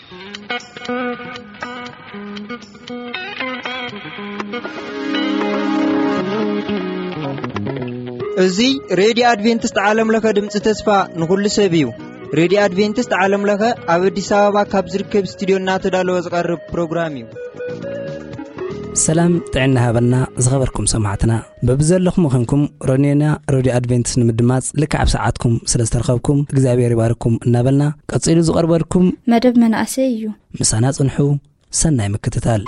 እዚ ሬድዮ ኣድቬንቲስት ዓለም ለኸ ድምፂ ተስፋ ንኹሉ ሰብ እዩ። ሬድዮ ኣድቬንቲስት ዓለም ለኸ ኣብ ኣዲስ ኣበባ ካብ ዝርከብ ስቱድዮ እናተዳለወ ዝቐርብ ፕሮግራም እዩ። ሰላም ጥዕና ሃበልና ዝኸበርኩም ሰማዕትና። በብዘለኹም ምዃንኩም ሮኔና ሬድዮ ኣድቬንቲስት ንምድማፅ ልክዕ ኣብ ሰዓትኩም ስለ ዝተረኸብኩም እግዚኣብሔር ይባርኩም እናበልና፣ ቀፂሉ ዝቐርበልኩም መደብ መናእሰይ እዩ። ምሳና ጽንሑ። ሰናይ ምክትታል።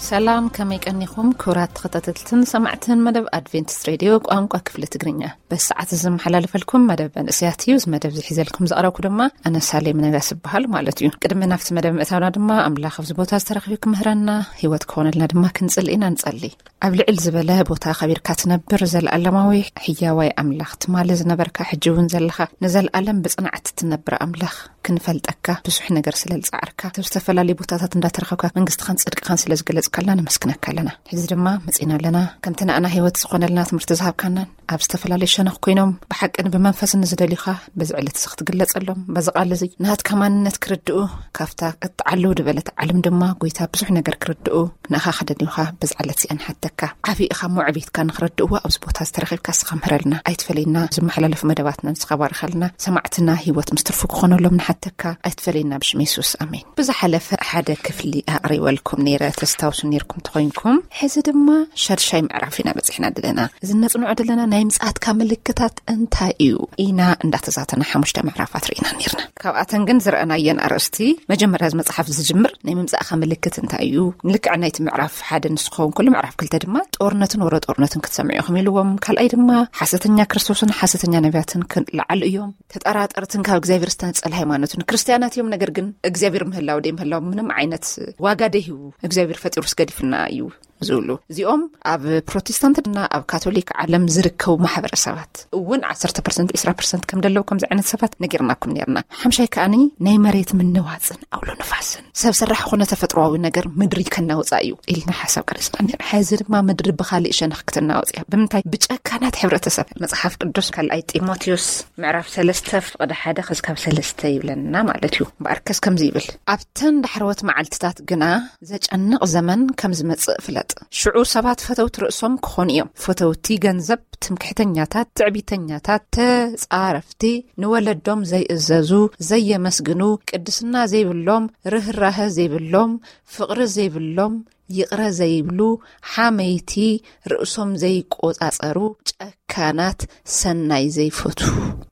ሰላም፣ ከመይ ቀኒኹም ክቡራት ተኸታተልትን ሰማዕትን መደብ ኣድቬንቲስት ሬድዮ ቋንቋ ክፍሊ ትግርኛ? በዚ ሰዓት እዚ ዝመሓላለፈልኩም መደብ መንእሰያት እዩ። እዚ መደብ እዚ ሒዘልኩም ዝቐረብኩ ድማ ኣነ ሳሌም ነጋስ እበሃል ማለት እዩ። ቅድሚ ናብቲ መደብ ምእታውና ድማ ኣምላኽ ኣብዚ ቦታ ዝተረኽቢ ክምህረና፣ ህይወት ክኾነልና ድማ ክንጽሊ ኢና። ንጸሊ። ኣብ ልዕል ዝበለ ቦታ ከቢርካ ትነብር ዘለኣለማዊ ሕያዋይ ኣምላኽ፣ ትማሊ ዝነበርካ፣ ሕጂ እውን ዘለኻ፣ ንዘለኣለም ብጽንዓት ትነብር ኣምላኽ፣ ክንፈልጠካ ብዙሕ ነገር ስለ ዝጸዓርካ፣ ኣብ ዝተፈላለዩ ቦታታት እንዳተረኸብካ መንግስትኻን ጽድቅኻን ስለ ዝገለጽካልና ነመስግነካ ኣለና። ሕዚ ድማ መጺና ኣለና። ከምቲ ንኣና ህይወት ዝኾነልና ትምህርቲ ዝሃብካናን ኣብ ዝተፈላለዩ ሸነኽ ኮይኖም ብሓቅን ብመንፈስን ንዝደልዩኻ በዚ ዕለት እዚ ክትግለጸሎም፣ በዚ ቃል እዚ ናትካ ማንነት ክርድኡ፣ ካብታ እትዓልው ዝበለት ዓለም ድማ ጎይታ ብዙሕ ነገር ክርድኡ ንኣኻ ከደልዩኻ በዚ ዕለት እዚኣ ንሓተካ። ዓቢ ኢኻ እሞ ዕቤትካ ንኽረድእዎ ኣብዚ ቦታ ዝተረኺብካ ንስኻ ምህረልና። ኣይትፈለየና። ዝመሓላለፉ መደባትና ንስኻ ባርኸልና። ሰማዕትና ህይወት ምስ ትርፉ ክኾነሎም ንሓተካ። ኣይትፈለየና ብሽም የሱስ። ኣሜን። ብዝሓለፈ ሓደ ክፍሊ ኣቕሪበልኩም ነይረ፣ ተስታውሱ ነይርኩም ተኾይንኩም። ሕዚ ድማ ሻድሻይ ምዕራፍ ኢና በጺሕና ዘለና። እዚ ነጽንዖ ዘለና ናይ ምጽኣትካ ምልክታት እንታይ እዩ? ኢና እንዳተዛተና ሓሙሽተ ምዕራፋት ርኢና ነይርና። ካብኣተን ግን ዝረኣናየን ኣርእስቲ፣ መጀመርያ እዚ መጽሓፍ ዝጅምር ናይ ምምጻእካ ምልክት እንታይ እዩ? ልክዕ ናይቲ ምዕራፍ ሓደ ንስኸውን ከሎ ምዕራፍ ክልተ ድማ ጦርነትን ወረ ጦርነትን ክትሰምዑ ኢኹም ኢልዎም። ካልኣይ ድማ ሓሰተኛ ክርስቶስን ሓሰተኛ ነቢያትን ክለዓሉ እዮም። ተጠራጠርትን ካብ እግዚኣብሔር ዝተነጸለ ሃይማኖትን ክርስትያናት እዮም። ነገር ግን እግዚኣብሔር ምህላው ደይ ምህላው ምንም ዓይነት ዋጋ ደይህቡ እግዚኣብሔር ፈጢሩስ ገዲፍና እዩ ዝብሉ። እዚኦም ኣብ ፕሮቴስታንትና ኣብ ካቶሊክ ዓለም ዝርከቡ ማሕበረሰባት እውን ዓሰርተ ፐርሰንት፣ ዕስራ ፐርሰንት ከም ደለዉ ከምዚ ዓይነት ሰባት ነጊርናኩም ነርና። ሓምሻይ ከኣኒ ናይ መሬት ምንዋፅን ኣውሎ ንፋስን ሰብ ሰራሕ ኮነ ተፈጥሮኣዊ ነገር ምድሪ ከናውፃ እዩ ኢልና ሓሳብ ቀሪፅና ነርና። ሕዚ ድማ ምድሪ ብኻሊእ ሸነኽ ክትናወፅ እያ። ብምንታይ? ብጨካናት ሕብረተሰብ። መፅሓፍ ቅዱስ ካልኣይ ጢሞቴዎስ ምዕራፍ ሰለስተ ፍቕዲ ሓደ ክስካብ ሰለስተ ይብለና ማለት እዩ። እምበኣርከስ ከምዚ ይብል፣ ኣብተን ዳሕረዎት መዓልትታት ግና ዘጨንቕ ዘመን ከም ዝመጽእ ፍለጥ። ሽዑ ሰባት ፈተውቲ ርእሶም ክኾኑ እዮም። ፈተውቲ ገንዘብ፣ ትምክሕተኛታት፣ ትዕቢተኛታት፣ ተጻረፍቲ፣ ንወለዶም ዘይእዘዙ፣ ዘየመስግኑ፣ ቅድስና ዘይብሎም፣ ርህራሀ ዘይብሎም፣ ፍቕሪ ዘይብሎም፣ ይቕረ ዘይብሉ፣ ሓመይቲ፣ ርእሶም ዘይቆጻጸሩ፣ ጨካናት፣ ሰናይ ዘይፈቱ፣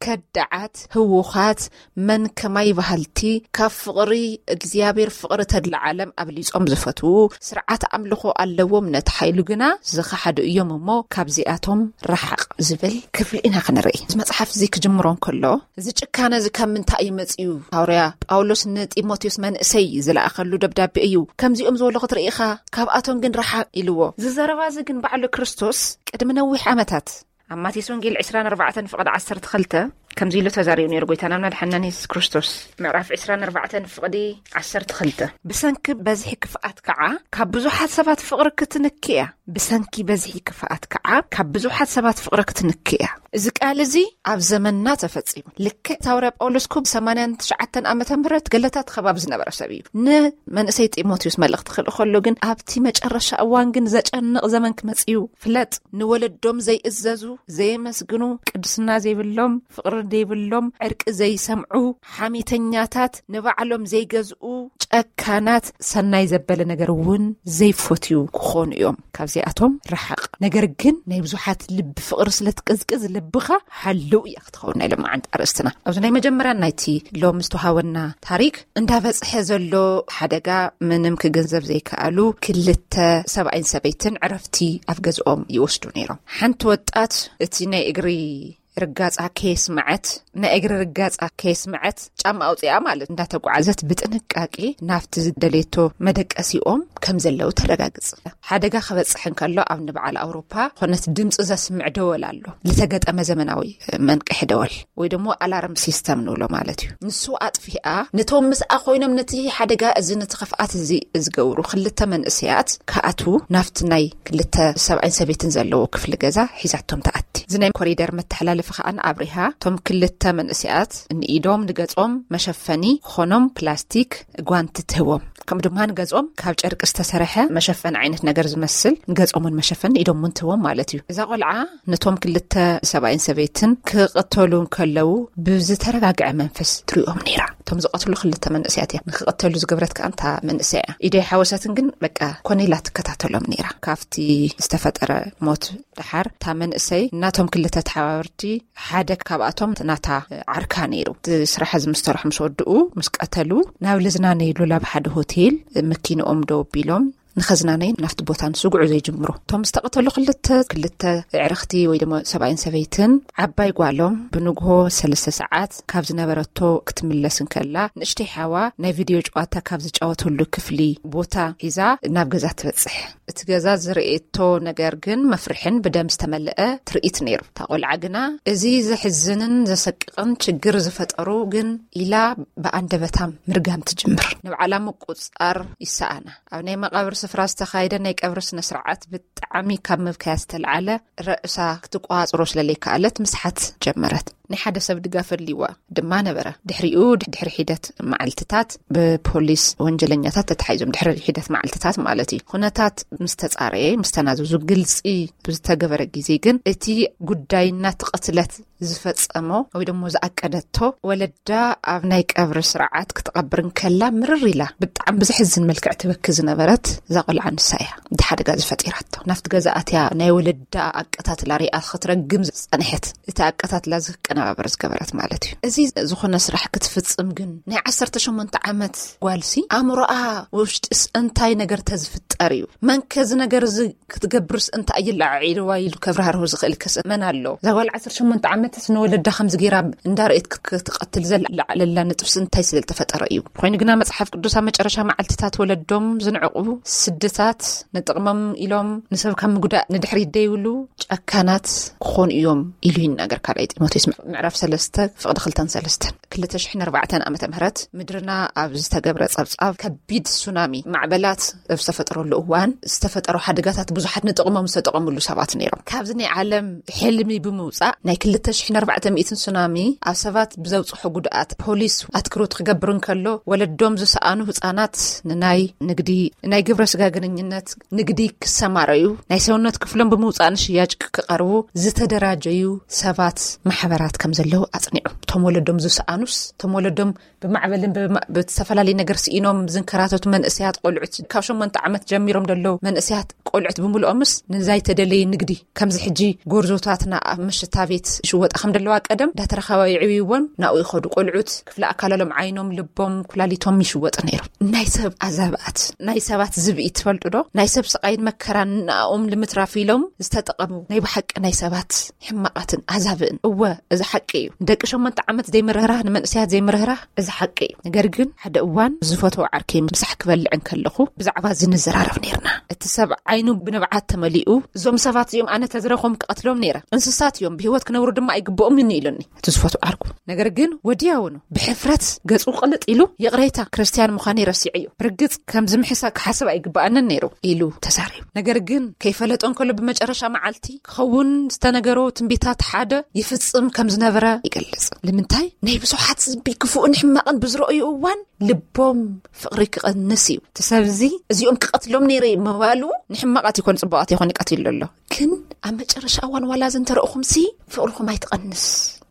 ከዳዓት፣ ህውኻት፣ መን ከማይ በሃልቲ፣ ካብ ፍቕሪ እግዚኣብሔር ፍቕሪ ተድላ ዓለም ኣብሊጾም ዝፈትዉ፣ ስርዓት ኣምልኾ ኣለዎም፣ ነቲ ሓይሉ ግና ዝኸሓዱ እዮም እሞ ካብዚኣቶም ረሓቕ ዝብል ክፍሊ ኢና ክንርኢ። እዚ መጽሓፍ እዚ ክጅምሮ እንከሎ፣ እዚ ጭካነ እዚ ካብ ምንታይ እዩ መጺኡ? ሃዋርያ ጳውሎስ ንጢሞቴዎስ መንእሰይ ዝለኣኸሉ ደብዳቤ እዩ። ከምዚኦም ዝበሉ ክትርኢ ኢኻ፣ ካብኣቶም ግን ረሓቕ ኢልዎ። እዚ ዘረባ እዚ ግን ባዕሉ ክርስቶስ ቅድሚ ነዊሕ ዓመታት ኣብ ማቴዎስ ወንጌል ዕስራን ኣርባዕተን ፍቕዲ ዓሰርተ ክልተ ከምዚ ኢሉ ተዛሪቡ ነይሩ ጎይታና መድሓንናን የሱስ ክርስቶስ። ምዕራፍ ዕስራን ኣርባዕተን ፍቕዲ ዓሰርተ ክልተ፣ "ብሰንኪ በዝሒ ክፍኣት ከዓ ካብ ብዙሓት ሰባት ፍቕሪ ክትንኪ እያ። ብሰንኪ በዝሒ ክፍኣት ከዓ ካብ ብዙሓት ሰባት ፍቕሪ ክትንኪ እያ።" እዚ ቃል እዚ ኣብ ዘመንና ተፈጺሙ። ልክዕ እቲ ሃዋርያ ጳውሎስ እኮ ሰማንያን ትሽዓተን ዓመተ ምህረት ገለታት ከባቢ ዝነበረ ሰብ እዩ። ንመንእሰይ ጢሞቴዎስ መልእኽቲ ክልእኸሉ ግን ኣብቲ መጨረሻ እዋን ግን ዘጨንቕ ዘመን ክመጽእ እዩ። ፍለጥ፣ ንወለዶም ዘይእዘዙ፣ ዘየመስግኑ፣ ቅድስና ዘይብሎም፣ ፍቕሪ ዘይብሎም፣ ዕርቂ ዘይሰምዑ፣ ሓሜተኛታት፣ ንባዕሎም ዘይገዝኡ፣ ጨካናት፣ ሰናይ ዘበለ ነገር እውን ዘይፈትዩ ክኾኑ እዮም። ካብዚኣቶም ረሓቕ። ነገር ግን ናይ ብዙሓት ልቢ ፍቕሪ ስለ ትቅዝቅዝ ልብኻ ሓልው እያ ክትኸውን ናይ ሎማዓንቲ ኣርእስትና። ኣብዚ ናይ መጀመርያ ናይቲ ሎም ዝተውሃበና ታሪክ እንዳበጽሐ ዘሎ ሓደጋ ምንም ክግንዘብ ዘይከኣሉ ክልተ ሰብኣይን ሰበይትን ዕረፍቲ ኣብ ገዝኦም ይወስዱ ነይሮም። ሓንቲ ወጣት እቲ ናይ እግሪ ርጋጻ ከየስምዐት፣ ናይ እግሪ ርጋጻ ከየስምዐት ጫማ ኣውጺኣ ማለት እንዳተጓዓዘት ብጥንቃቄ ናብቲ ዝደለየቶ መደቀሲኦም ከም ዘለዉ ተረጋግጽ። ሓደጋ ክበጽሕ እንከሎ ኣብ ንበዓል ኣውሮፓ ኮነት ድምፂ ዘስምዕ ደወል ኣሎ፣ ዝተገጠመ ዘመናዊ መንቅሒ ደወል ወይ ደሞ ኣላርም ሲስተም ንብሎ ማለት እዩ። ንሱ ኣጥፊኣ ነቶም ምስኣ ኮይኖም ነቲ ሓደጋ እዚ ነቲ ክፍኣት እዚ ዝገብሩ ክልተ መንእሰያት ክኣትዉ ናብቲ ናይ ክልተ ሰብኣይን ሰበይትን ዘለዎ ክፍሊ ገዛ ሒዛቶም ትኣቲ። እዚ ናይ ኮሪደር መተሓላለፊ ከኣ ኣብሪሃ እቶም ክልተ መንእሰያት ንኢዶም ንገጾም መሸፈኒ ክኾኖም ፕላስቲክ ጓንቲ ትህቦም፣ ከምኡ ድማ ንገጾም ካብ ጨርቂ ዝተሰርሐ መሸፈኒ ዓይነት ነገር ዝመስል ንገጾም እውን መሸፈኒ ኢዶም እውን ትህቦም ማለት እዩ። እዛ ቆልዓ ነቶም ክልተ ሰብኣይን ሰበይትን ክቐተሉ እንከለዉ ብዝተረጋግዐ መንፈስ ትሪኦም ነይራ። እቶም ዝቐትሉ ክልተ መንእሰያት እያ ንክቐተሉ ዝገብረት ከኣ እታ መንእሰይ እያ። ኢደይ ሓወሰትን ግን በቃ ኮነ ኢላ ትከታተሎም ነይራ። ካብቲ ዝተፈጠረ ሞት ደሓር እታ መንእሰይ እናቶም ክልተ ተሓባበርቲ ሓደ ካብኣቶም ናታ ዓርካ ነይሩ። እቲ ስራሕ እዚ ምስ ተረሑ ምስ ወድኡ ምስ ቀተሉ ናብ ልዝናነይሉ ላብ ሓደ ሆቴል መኪንኦም ደው ኣቢሎም ንኸዝናነይ ናፍቲ ቦታ ንሱ ጉዕዞ ይጅምሩ። እቶም ዝተቐተሉ ክልተ ክልተ ኣዕርኽቲ ወይ ድማ ሰብኣይን ሰበይትን ዓባይ ጓሎም ብንግሆ ሰለስተ ሰዓት ካብ ዝነበረቶ ክትምለስ እንከላ ንእሽተይ ሓዋ ናይ ቪድዮ ጨዋታ ካብ ዝጫወተሉ ክፍሊ ቦታ ሒዛ ናብ ገዛ ትበጽሕ። እቲ ገዛ ዝርእየቶ ነገር ግን መፍርሕን ብደም ዝተመልአ ትርኢት ነይሩ። እታ ቆልዓ ግና እዚ ዘሕዝንን ዘሰቅቕን ችግር ዝፈጠሩ ግን ኢላ ብኣንደበታ ምርጋም ትጅምር። ንብዓላ ምቁጽጻር ይሰኣና። ኣብ ናይ መቓብር ስፍራ ዝተኻየደ ናይ ቀብሪ ስነ ስርዓት ብጣዕሚ ካብ ምብካያ ዝተልዓለ ርእሳ ክትቆጻጸሮ ስለለይከኣለት ምስሓት ጀመረት። ናይ ሓደ ሰብ ድጋፍ ኣድልይዋ ድማ ነበረ። ድሕሪኡ ድሕሪ ሒደት መዓልትታት ብፖሊስ ወንጀለኛታት ተታሒዞም፣ ድሕሪ ሒደት መዓልትታት ማለት እዩ። ኩነታት ምስ ተጻረየ ምስ ተናዘዙ ግልጺ ብዝተገበረ ግዜ ግን እቲ ጉዳይ እናተቐትለት ዝፈጸሞ ወይ ደሞ ዝኣቀደቶ ወለዳ ኣብ ናይ ቀብሪ ስርዓት ክትቐብር እንከላ ምርር ኢላ ብጣዕሚ ብዘሕዝን መልክዕ ትበኪ ዝነበረት እዛ ቆልዓ ንሳ እያ። እቲ ሓደጋ ዝፈጢራቶ ናብቲ ገዛ ኣትያ ናይ ወለዳ ኣቀታትላ ሪኣ ክትረግም ዝጸንሐት እቲ ኣቀታትላ ዝቀነባበር ዝገበረት ማለት እዩ። እዚ ዝኾነ ስራሕ ክትፍጽም ግን ናይ ዓሰርተ ሸሞንተ ዓመት ጓልሲ ኣእምሮኣ ውሽጢስ እንታይ ነገር ተዝፍጠር እዩ? መን ከዚ ነገር እዚ ክትገብርስ እንታይ ይለዓዒልዋ ኢሉ ከብራህርሁ ዝኽእል ከስ መን ኣሎ? እዛ ጓል ዓሰርተ ሸሞንተ ዓመትስ ንወለዳ ከምዚ ገይራ እንዳርኤት ክትቀትል ዘለዓለላ ንጥፍሲ እንታይ ስለ ዝተፈጠረ እዩ? ኮይኑ ግና መጽሓፍ ቅዱስ ኣብ መጨረሻ መዓልትታት ወለዶም ዝንዕቑ ስድታት ንጥቕሞም ኢሎም ንሰብ ካብ ምጉዳእ ንድሕሪት ደይብሉ ጨካናት ክኾኑ እዮም ኢሉ ይናገር። ካልኣይ ጢሞቴዎስ ምዕራፍ ሰለስተ ፍቕዲ ክልተን ሰለስተን። ክልተ ሽሕን ኣርባዕተን ዓመተ ምህረት ምድርና ኣብ ዝተገብረ ጸብጻብ ከቢድ ሱናሚ ማዕበላት ኣብ ዝተፈጠረሉ እዋን ዝተፈጠሩ ሓደጋታት ብዙሓት ንጥቕሞም ዝተጠቐምሉ ሰባት ነይሮም። ካብዚ ናይ ዓለም ሕልሚ ብምውጻእ ናይ ክልተ ሽሕን ኣርባዕተ ሚእትን ሱናሚ ኣብ ሰባት ብዘውጽሖ ጉድኣት ፖሊስ ኣትክሮት ክገብር እንከሎ ወለዶም ዝሰኣኑ ህጻናት ንናይ ንግዲ፣ ናይ ግብረ ስጋ ግንኙነት ንግዲ ክሰማረዩ፣ ናይ ሰውነት ክፍሎም ብምውጻእ ንሽያጭ ክቐርቡ ዝተደራጀዩ ሰባት ማሕበራት ከም ዘለዉ ኣጽኒዑ። እቶም ወለዶም ዝሰኣኑስ፣ እቶም ወለዶም ብማዕበልን ብማ-፣ ብዝተፈላለየ ነገር ስኢኖም ዝንከራተቱ መንእሰያት ቆልዑት፣ ካብ ሸሞንተ ዓመት ጀሚሮም ዘለዉ መንእሰያት ቆልዑት ብምልኦምስ ንዛይተደለየ ንግዲ፣ ከምዚ ሕጂ ጎርዞታትና ኣብ መሸታ ቤት ይሽወጣ ከም ዘለዋ ቀደም እንዳተረኸባ ይዕብይዎን ናብኡ ይኸዱ። ቆልዑት ክፍለ ኣካላሎም ዓይኖም፣ ልቦም፣ ኩላሊቶም ይሽወጥ ነይሩ። ናይ ሰብ ኣዛብኣት፣ ናይ ሰባት ዝብኢ ትፈልጡ ዶ? ናይ ሰብ ስቓይን መከራን ንኣኦም ንምትራፍ ኢሎም ዝተጠቐሙ ናይ ብሓቂ ናይ ሰባት ሕማቓትን ኣዛብእን። እወ፣ እዚ ሓቂ እዩ። ንደቂ ሸሞንተ ዓመት ዘይምርህራህ፣ ንመንእሰያት ዘይምርህራህ፣ እዚ ሓቂ እዩ። ነገር ግን ሓደ እዋን ዝፈትዎ ዓርከይ ምሳሕ ክበልዕ እንከለኹ ብዛዕባ እዚ ንዘራረብ ነይርና። እቲ ሰብ ዓይኑ ብንብዓት ተመሊኡ፣ እዞም ሰባት እዚኦም ኣነ ተዝረኽቦም ክቐትሎም ነይረ። እንስሳት እዮም፣ ብህይወት ክነብሩ ድማ ኣይግብኦምን ኢሉኒ እቲ ዝፈትዎ ዓርኩ። ነገር ግን ወዲያውኑ ብሕፍረት ገጹ ቅልጥ ኢሉ፣ "ይቕሬታ፣ ክርስትያን ምዃነይ ረሲዐዮ። ብርግጽ ከምዚ ምሕሳ ክሓስብ ኣይግብኣንን ነይሩ" ኢሉ ተዛሪቡ። ነገር ግን ከይፈለጦ እንከሎ ብመጨረሻ መዓልቲ ክኸውን ዝተነገሮ ትንቢታት ሓደ ይፍጽም ከም ዝነበረ ይገልጽ። ንምንታይ? ናይ ብዙሓት ዝቢ ክፉእን ሕማቕን ብዝረኣዩ እዋን ልቦም ፍቕሪ ክቐንስ እዩ። እቲ ሰብ እዚ እዚኦም ክቐትሎም ነይረ ምባሉ ንሕማቓት ይኮን ጽቡቓት ይኾን ይቀትሉ ኣሎ። ግን ኣብ መጨረሻ እዋን ዋላ እዚ እንተረእኹምሲ ፍቕርኹም ኣይትቐንስ።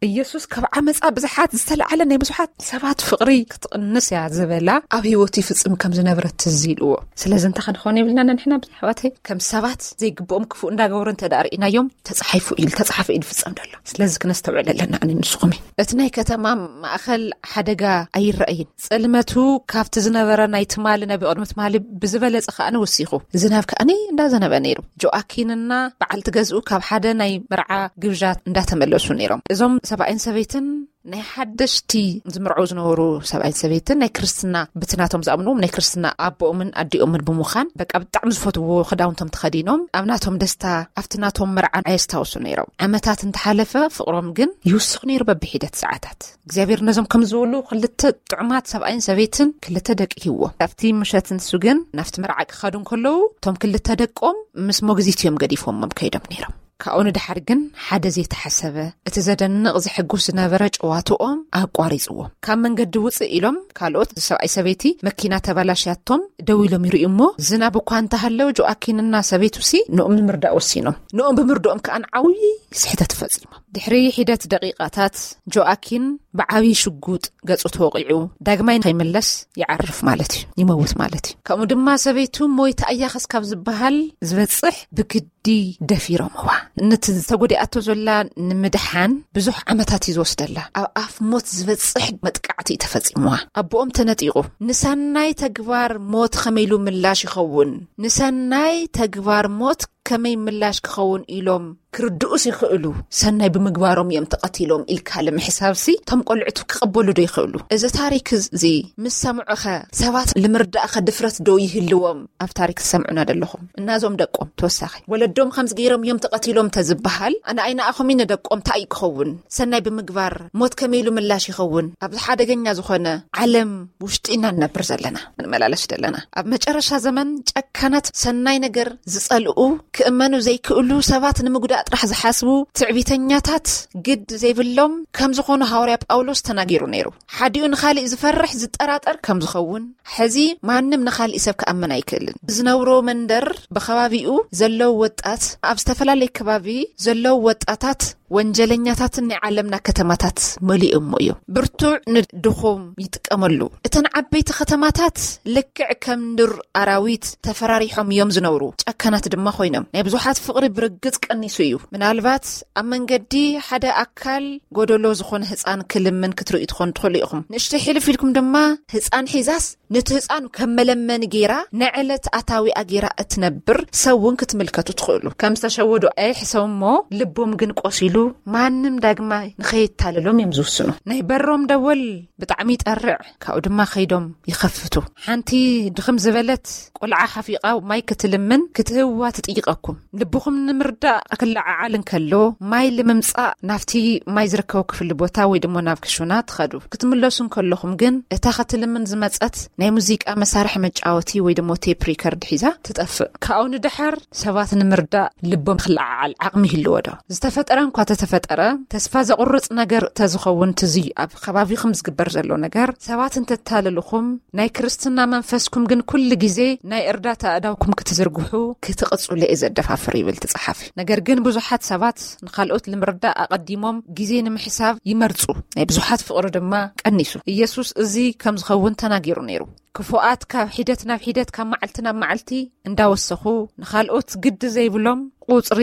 ኢየሱስ ካብ ዓመፃ ብዙሓት ዝተለዓለ ናይ ብዙሓት ሰባት ፍቕሪ ክትቕንስ እያ ዝበላ ኣብ ህይወቱ ይፍፅም ከም ዝነበረ ትዝ ኢልዎ። ስለዚ እንታይ ክንኾን የብልና ንሕና ብዙሓዋተይ ከም ሰባት ዘይግብኦም ክፉእ እንዳገበሩ እንተ ደኣ ርኢናዮም ተፃሒፉ ኢሉ ተፃሓፈ ኢሉ ፍፀም ደሎ። ስለዚ ክነስተውዕል ኣለና ኣነ ንስኹም እቲ ናይ ከተማ ማእኸል ሓደጋ ኣይረኣይን። ጸልመቱ ካብቲ ዝነበረ ናይ ትማሊ ናይ ብቕድሚ ትማሊ ብዝበለጸ ከኣ ወሲኹ ዝናብ ከኣ እንዳዘነበ ነይሩ። ጆኣኪንና በዓልቲ ገዝኡ ካብ ሓደ ናይ መርዓ ግብዣ እንዳተመለሱ ነይሮም። እዞም ሰብኣይን ሰበይትን ናይ ሓደሽቲ ዝምርዑ ዝነበሩ ሰብኣይን ሰበይትን ናይ ክርስትና ብትናቶም ዝኣምንዎም ናይ ክርስትና ኣቦኦምን ኣዲኦምን ብምዃን በቃ ብጣዕሚ ዝፈትዎ ክዳውንቶም ተኸዲኖም ኣብ ናቶም ደስታ ኣብቲ ናቶም መርዓን ኣየስታውሱ ነይሮም። ዓመታት እንተሓለፈ ፍቕሮም ግን ይውስኽ ነይሩ በብሒደት ሰዓታት። እግዚኣብሔር ነዞም ከም ዝበሉ ክልተ ጥዑማት ሰብኣይን ሰበይትን ክልተ ደቂ ሂዎ። ኣብቲ ምሸት ንሱ ግን ናብቲ መርዓ ክኸዱ እንከለዉ እቶም ክልተ ደቆም ምስ ሞግዚት እዮም ገዲፎሞም ከይዶም ነይሮም። ካብኡ ንድሓር ግን ሓደ ዘይተሓሰበ እቲ ዘደንቕ ዘሐጉስ ዝነበረ ጨዋትኦም ኣቋሪጽዎም። ካብ መንገዲ ውጽእ ኢሎም ካልኦት ሰብኣይ ሰበይቲ መኪና ተባላሽያቶም ደው ኢሎም ይርእዩ እሞ ዝናብ እኳ እንተሃለው ጆኣኪንና ሰበይቱሲ ንኦም ንምርዳእ ወሲኖም። ንኦም ብምርድኦም ከኣ ዓብዪ ስሕተት ፈጺሞም። ድሕሪ ሒደት ደቂቓታት ጆኣኪን ብዓብዪ ሽጉጥ ገጹ ተወቒዑ ዳግማይ ከይምለስ ይዓርፍ ማለት እዩ፣ ይመውት ማለት እዩ። ከምኡ ድማ ሰበይቱ ሞይታ እያ ከስካብ ዝበሃል ዝበጽሕ ብግዲ ደፊሮምዋ። ነቲ ዝተጎዲኣቶ ዘላ ንምድሓን ብዙሕ ዓመታት እዩ ዝወስደላ። ኣብ ኣፍ ሞት ዝበጽሕ መጥቃዕቲ እዩ ተፈጺምዋ። ኣቦኦም ተነጢቑ። ንሰናይ ተግባር ሞት ከመይ ኢሉ ምላሽ ይኸውን? ንሰናይ ተግባር ሞት ከመይ ምላሽ ክኸውን ኢሎም ክርድኡስ ይኽእሉ? ሰናይ ብምግባሮም እዮም ተቐቲሎም ኢልካ ለምሕሳብሲ እቶም ቆልዕቱ ክቕበሉ ዶ ይኽእሉ? እዚ ታሪክ እዚ ምስ ሰምዑኸ ሰባት ንምርዳእኸ ድፍረት ዶ ይህልዎም? ኣብ ታሪክ ትሰምዑና ደለኹም እናዞም ደቆም ተወሳኺ ወለዶም ከምዚ ገይሮም እዮም ተቐቲሎም ተዝበሃል ኣነ ኣይነኣኹም ንደቆም እንታይ እዩ ክኸውን? ሰናይ ብምግባር ሞት ከመይ ኢሉ ምላሽ ይኸውን? ኣብዚ ሓደገኛ ዝኾነ ዓለም ውሽጢ ኢና ንነብር ዘለና፣ ንመላለስ ዘለና። ኣብ መጨረሻ ዘመን ጨካናት ሰናይ ነገር ዝጸልኡ፣ ክእመኑ ዘይክእሉ፣ ሰባት ንምጉዳእ ጥራሕ ዝሓስቡ፣ ትዕቢተኛታት፣ ግድ ዘይብሎም ከም ዝኾኑ ሃዋርያ ጳውሎስ ተናጊሩ ነይሩ። ሓዲኡ ንኻሊእ ዝፈርሕ ዝጠራጠር ከም ዝኸውን፣ ሕዚ ማንም ንኻሊእ ሰብ ክኣምን ኣይክእልን። ዝነብሮ መንደር ብኸባቢኡ ዘለዉ ወጣት ኣብ ዝተፈላለየ ከባቢ ዘለዉ ወጣታት ወንጀለኛታትን ናይ ዓለምና ከተማታት መሊኦሞ እዮም። ብርቱዕ ንድኹም ይጥቀመሉ። እተን ዓበይቲ ከተማታት ልክዕ ከም ዱር ኣራዊት ተፈራሪሖም እዮም ዝነብሩ። ጨካናት ድማ ኮይኖም። ናይ ብዙሓት ፍቕሪ ብርግጽ ቀኒሱ እዩ። ምናልባት ኣብ መንገዲ ሓደ ኣካል ጎደሎ ዝኾነ ህፃን ክልምን ክትርእዩ ትኾኑ ትኽእሉ ኢኹም። ንእሽተይ ሕልፍ ኢልኩም ድማ ህፃን ሒዛስ ነቲ ህፃን ከም መለመኒ ገይራ ንዕለት ኣታዊኣ ገይራ እትነብር ሰብ እውን ክትምልከቱ ትኽእሉ። ከም ዝተሸወዱ ኣይሕሰቡ እሞ ልቦም ግን ቆሲሉ ማንም ዳግማይ ንኸየታልሎም እዮም ዝውስኑ። ናይ በሮም ደወል ብጣዕሚ ይጠርዕ፣ ካብኡ ድማ ከይዶም ይኸፍቱ። ሓንቲ ድኽም ዝበለት ቆልዓ ሓፊቓ ማይ ክትልምን ክትህብዋ ትጥይቐኩም። ልብኹም ንምርዳእ ክለዓዓል እንከሎ ማይ ንምምጻእ ናብቲ ማይ ዝርከቦ ክፍሊ ቦታ ወይ ድማ ናብ ክሹና ትኸዱ። ክትምለሱ እንከለኹም ግን እታ ክትልምን ዝመጸት ናይ ሙዚቃ መሳርሒ መጫወቲ ወይ ድማ ቴፕ ሪከርድ ሒዛ ትጠፍእ። ካብኡ ንድሓር ሰባት ንምርዳእ ልቦም ክለዓዓል ዓቕሚ ይህልዎ ዶ? ዝተፈጠረ እንኳ ተተፈጠረ ተስፋ ዘቑርጽ ነገር ተዝኸውን ትዚ ኣብ ከባቢኹም ዝግበር ዘሎ ነገር ሰባት እንተታለልኹም ናይ ክርስትና መንፈስኩም ግን ኩሉ ግዜ ናይ እርዳታ ኣእዳውኩም ክትዝርግሑ ክትቕጽሉ እየ ዘደፋፍር ይብል እቲ ጸሓፊ። ነገር ግን ብዙሓት ሰባት ንኻልኦት ንምርዳእ ኣቐዲሞም ግዜ ንምሕሳብ ይመርጹ። ናይ ብዙሓት ፍቕሪ ድማ ቀኒሱ። ኢየሱስ እዚ ከም ዝኸውን ተናጊሩ ነይሩ። ክፉኣት ካብ ሒደት ናብ ሒደት ካብ መዓልቲ ናብ መዓልቲ እንዳወሰኹ ንኻልኦት ግዲ ዘይብሎም ቁጽሪ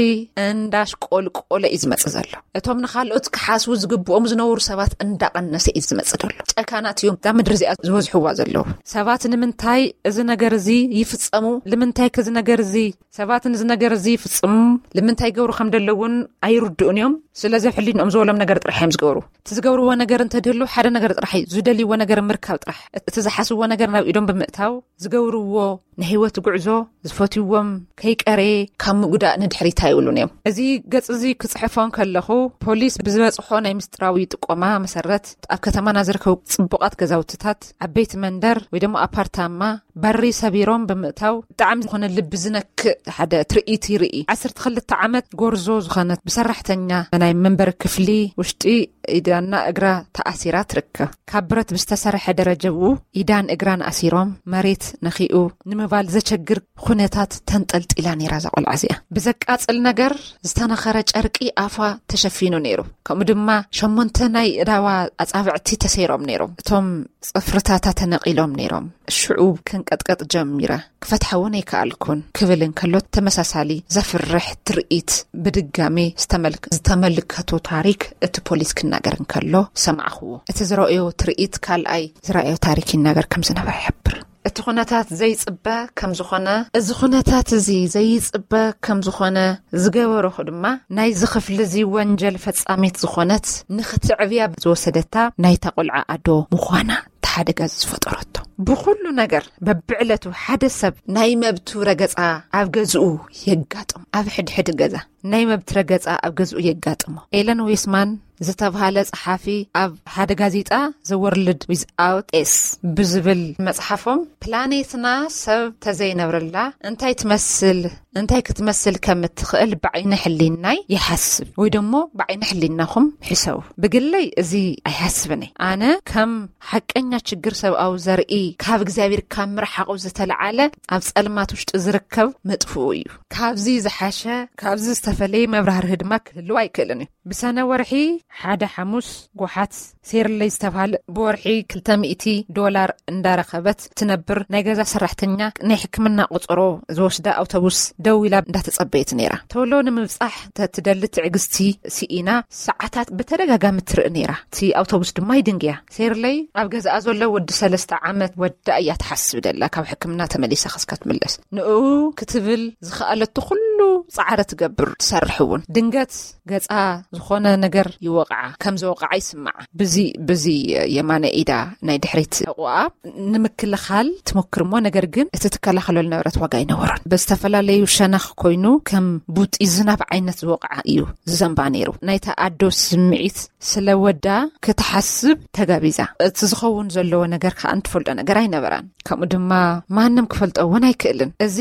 እንዳሽቆልቆለ እዩ ዝመጽእ ዘሎ። እቶም ንኻልኦት ክሓስቡ ዝግብኦም ዝነበሩ ሰባት እንዳቐነሰ እዩ ዝመጽእ ዘሎ። ጨካናት እዮም እዛ ምድሪ እዚኣ ዝበዝሕዋ ዘለዉ። ሰባት ንምንታይ እዚ ነገር እዚ ይፍጸሙ? ንምንታይ ከዚ ነገር እዚ ሰባት ነዚ ነገር እዚ ይፍጽሙ? ንምንታይ ይገብሩ ከም ዘለውን ኣይርድኡን እዮም። ስለዚ ሕሊንኦም ዝበሎም ነገር ጥራሕ እዮም ዝገብሩ። እቲ ዝገብርዎ ነገር እንተድህሉ ሓደ ነገር ጥራሕ እዩ፣ ዝደልይዎ ነገር ምርካብ ጥራሕ። እቲ ዝሓስብዎ ነገር ናብ ኢዶም ብምእታው ዝገብርዎ ናይ ህይወት ጉዕዞ ዝፈትይዎም ከይቀረየ ካብ ምጉዳእ ንድሕሪት ኣይብሉን እዮም። እዚ ገጽ እዚ ክጽሕፎ እንከለኹ ፖሊስ ብዝበጽሖ ናይ ምስጢራዊ ጥቆማ መሰረት ኣብ ከተማና ዝርከቡ ጽቡቓት ገዛውትታት፣ ዓበይቲ መንደር ወይ ድማ ኣፓርታማ በሪ ሰቢሮም ብምእታው ብጣዕሚ ዝኾነ ልቢ ዝነክእ ሓደ ትርኢት ይርኢ። ዓሰርተ ክልተ ዓመት ጎርዞ ዝኾነት ብሰራሕተኛ ናይ መንበሪ ክፍሊ ውሽጢ ኢዳና እግራ ተኣሲራ ትርከብ። ካብ ብረት ብዝተሰርሐ ደረጀብኡ ኢዳን እግራን ኣሲሮም፣ መሬት ነኺኡ ንምባል ዘቸግር ኩነታት ተንጠልጢላ ነይራ እዛ ቆልዓ እዚኣ። ብዘቃጽል ነገር ዝተነኸረ ጨርቂ ኣፋ ተሸፊኑ ነይሩ። ከምኡ ድማ ሸሞንተ ናይ እዳዋ ኣጻብዕቲ ተሰይሮም ነይሮም። እቶም ጽፍርታታ ተነቒሎም ነይሮም። ሽዑ ክንቀጥቀጥ ጀሚረ። ክፈትሓ እውን ኣይከኣልኩን ክብል እንከሎ፣ ተመሳሳሊ ዘፍርሕ ትርኢት ብድጋሜ ዝተመልክ-፣ ዝተመልከቶ ታሪክ እቲ ፖሊስ ክናገር እንከሎ ሰማዕኽዎ። እቲ ዝረኣዮ ትርኢት ካልኣይ ዝረኣዮ ታሪክ ይናገር ከም ዝነበረ ይሕብር። እቲ ኩነታት ዘይጽበ ከም ዝኾነ፣ እዚ ኩነታት እዚ ዘይጽበ ከም ዝኾነ ዝገበረኹ ድማ፣ ናይዚ ክፍሊ እዚ ወንጀል ፈጻሚት ዝኾነት፣ ንኽትዕብያ ዝወሰደታ ናይታ ቆልዓ ኣዶ ምዃና፣ እቲ ሓደጋ እዚ ዝፈጠረቶ። ብኹሉ ነገር በብዕለቱ ሓደ ሰብ ናይ መብቱ ረገጻ ኣብ ገዝኡ የጋጥም። ኣብ ሕድሕድ ገዛ ናይ መብት ረገጻ ኣብ ገዝኡ የጋጥሞ። ኤለን ዊስማን ዝተብሃለ ጸሓፊ ኣብ ሓደ ጋዜጣ The World Without Us ብዝብል መጽሓፎም፣ ፕላኔትና ሰብ ተዘይነብረላ እንታይ ትመስል፣ እንታይ ክትመስል ከም እትኽእል ብዓይነ ሕሊናይ ይሓስብ፣ ወይ ደሞ ብዓይነ ሕሊናኹም ሕሰቡ። ብግለይ እዚ ኣይሓስብን እየ። ኣነ ከም ሓቀኛ ችግር ሰብኣዊ ዘርኢ ካብ እግዚኣብሔር ካብ ምርሓቑ ዝተለዓለ ኣብ ጸልማት ውሽጢ ዝርከብ መጥፍኡ እዩ። ካብዚ ዝሓሸ፣ ካብዚ ዝተፈለየ መብራህርሂ ድማ ክህልው ኣይክእልን እዩ። ብሰነ ወርሒ ሓደ ሓሙስ፣ ጎሓት ሴርለይ ዝተባህለ ብወርሒ ክልተ ሚእቲ ዶላር እንዳረኸበት ትነብር ናይ ገዛ ሰራሕተኛ፣ ናይ ሕክምና ቆጸሮ ዝወስዳ ኣውቶቡስ ደው ኢላ እንዳተጸበየት ነይራ። ቶሎ ንምብጻሕ ተትደሊ ትዕግስቲ ስኢና ሰዓታት ብተደጋጋሚ ትርኢ ነይራ። እቲ ኣውቶቡስ ድማ ይድንግያ። ሴርለይ ኣብ ገዛኣ ዘሎ ወዲ ሰለስተ ዓመት ወዳ እያ ትሓስብ ደላ፣ ካብ ሕክምና ተመሊሳ ክስካ ትምለስ። ንኡ ክትብል ዝኸኣለቶ ኩሉ ጻዕሪ ትገብር፣ ትሰርሕ እውን። ድንገት ገጻ ዝኾነ ነገር ይወቕዓ፣ ከም ዝወቕዓ ይስምዓ። ብዚ፣ ብዚ የማነ ኢዳ ናይ ድሕሪት ሕቑኣ ንምክልኻል ትሞክር እሞ፣ ነገር ግን እቲ ትከላኸሎ ዝነበረት ዋጋ ኣይነበሮን። ብዝተፈላለዩ ሸነኽ ኮይኑ ከም ቡጢ ዝናብ ዓይነት ዝወቕዓ እዩ ዝዘንባ ነይሩ። ናይታ ኣዶ ስምዒት ስለ ወዳ ክትሓስብ ተጋቢዛ። እቲ ዝኸውን ዘለዎ ነገር ከኣ እንትፈልጦ ነገር ኣይነበራን። ከምኡ ድማ ማንም ክፈልጦ እውን ኣይክእልን። እዚ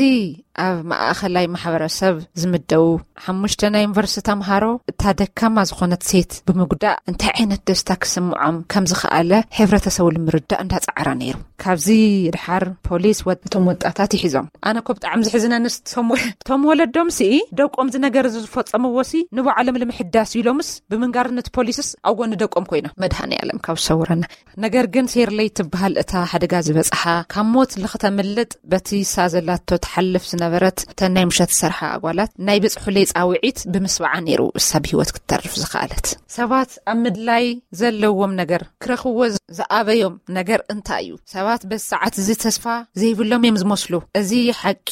ኣብ ማእኸላይ ማሕበረሰብ ዝምደቡ ሓሙሽተ ናይ ዩኒቨርሲቲ ተምሃሮ፣ እታ ደካማ ዝኾነት ሴት ብምጉዳእ እንታይ ዓይነት ደስታ ክስምዖም ከም ዝኸኣለ ሕብረተሰቡ ንምርዳእ እንዳጻዕረ ነይሩ። ካብዚ ድሓር ፖሊስ ወ-፣ እቶም ወጣታት ይሒዞም። ኣነ እኮ ብጣዕሚ ዝሕዝነንስ፣ እቶም ወ-፣ እቶም ወለዶም ሲ ደቆም እዚ ነገር እዚ ዝፈጸምዎ ሲ ንባዕሎም ንምሕዳስ ኢሎምስ ብምንጋርነት ፖሊስስ ኣብ ጎኒ ደቆም ኮይኖም። መድሃኔ ዓለም ካብ ዝሰውረና። ነገር ግን ሴርለይ ትበሃል እታ ሓደጋ ዝበጽሓ፣ ካብ ሞት ልኽተምልጥ በቲ እሳ ዘላቶ ትሓልፍ ዝነበረት፣ እተን ናይ ምሸት ዝሰርሓ ኣጓላት ናይ ብጽሑለይ ጻውዒት ብምስባዓ ነይሩ እሳ ብህይወት ክትተርፍ ዝኸኣለት። ሰባት ኣብ ምድላይ ዘለዎም ነገር ክረኽብዎ ዝኣበዮም ነገር እንታይ እዩ? ሰባት በዚ ሰዓት እዚ ተስፋ ዘይብሎም እዮም ዝመስሉ። እዚ ሓቂ